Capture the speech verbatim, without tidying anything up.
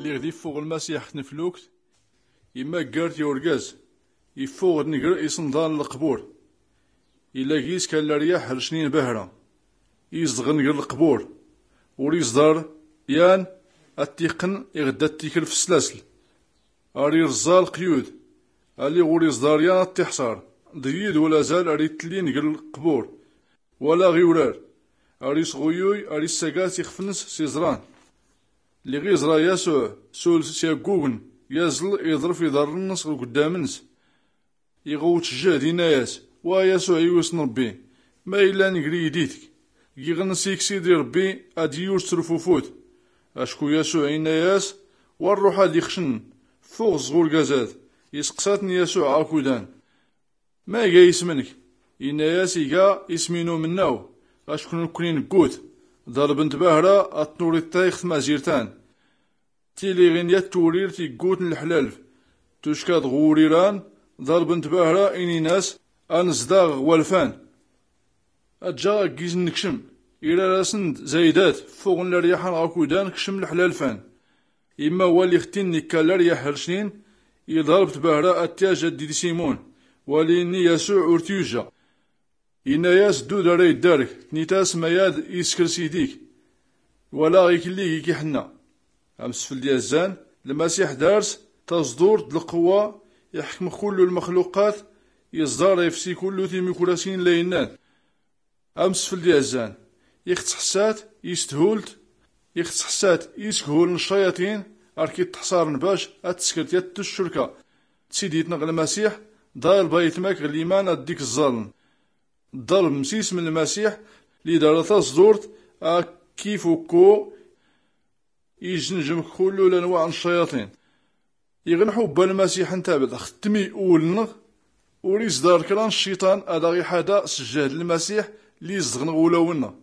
Lliɣ d-iffuɣ lmasiḥ tneflukt, imaggar-t i urgaz, iffuɣ-d nnger iṣenḍan n lqbur. Ila gis kan leryaḥ rcnin bahra, izedɣen ger lqbur, ur iẓḍar yan ad t-iqqen iɣ-d ad t-ikel f sslasl. Ar irẓẓa lqyud, aliɣ ur iẓḍar yan ad t-iḥṣar. D yid wala azal ar itellin ger lqbur, wala ɣ iwrar. Ar isɣuyuy, ar issagas ixf-ns s iẓran. Lliɣ iẓra yasuɛ sul s yaggugn, yaẓl iḍrf iḍarrn-ns ɣ uggddam-ns. Iɣwt jjehd, inna-yas: Wa yasuɛ, iwis n rbbi, ma illan gri iditk? Giɣ-ns iksidi rbbi ad iyuj s trfufut. Acku yasuɛ inna-yas: Wa rruḥ ad ixcn, ffuɣ s ɣ urgaz-ad. Isqsa-tn yasuɛ akudan: Ma iga ism-nk? Inna-yas: Iga ism-inu mnnaw, acku nkni nggut. Ḍalbnt bahra ad tnuriṭṭa ix tmazirt-an. Tiliɣin yat twurirt iggutn lḥlalf, tucka-d ɣ wurir-an. Ḍalbnt bahra, inin-as: Ad nzdaɣ ɣ walfan. Ad jjaɣ aggiz nnekcm. Irar-asn-d: Zaydat, ffuɣn leryaḥ-an ɣ akudan, kcm lḥlalf-an. Imma wal ixtin ikka leryaḥ rcnin, iḍalbt bahra ad tyaj ad d-idsimun. Wal inni yasuɛ ur tyujja. Inna-yas: Ddud ara iddark, tnit-as: Mayad iskr sidik, wala ɣ iklli gik iḥnna. Amsfld yazzan, lmasiḥ dars taẓḍurt d lqwwa, iḥkm kullu lmxluqat, iẓḍar ifsi kullu timukrasin laynnan. Amsfld yazzan, ixtsḥssat isthult, ixtsḥssat iskhul n ccayaṭin, ar k-ittḥṣarn bac ad tskrt yat tccurka d sidit-nɣ lmasiḥ. Ḍalb aytmak ɣ liman ad dik ẓẓaln. Ḍalb msism lmasiḥ lidara taẓḍurt, a k-ifukku ijnjm kullu lanwaɛ n ccayaṭin. Iɣ nḥubba lmasiḥ ntabd ɣ tmi ul-nɣ, ur iẓḍar kra n cciṭan ad aɣ-iḥada s jjehd lmasiḥ li izḍɣn ɣ ulaw-nɣ.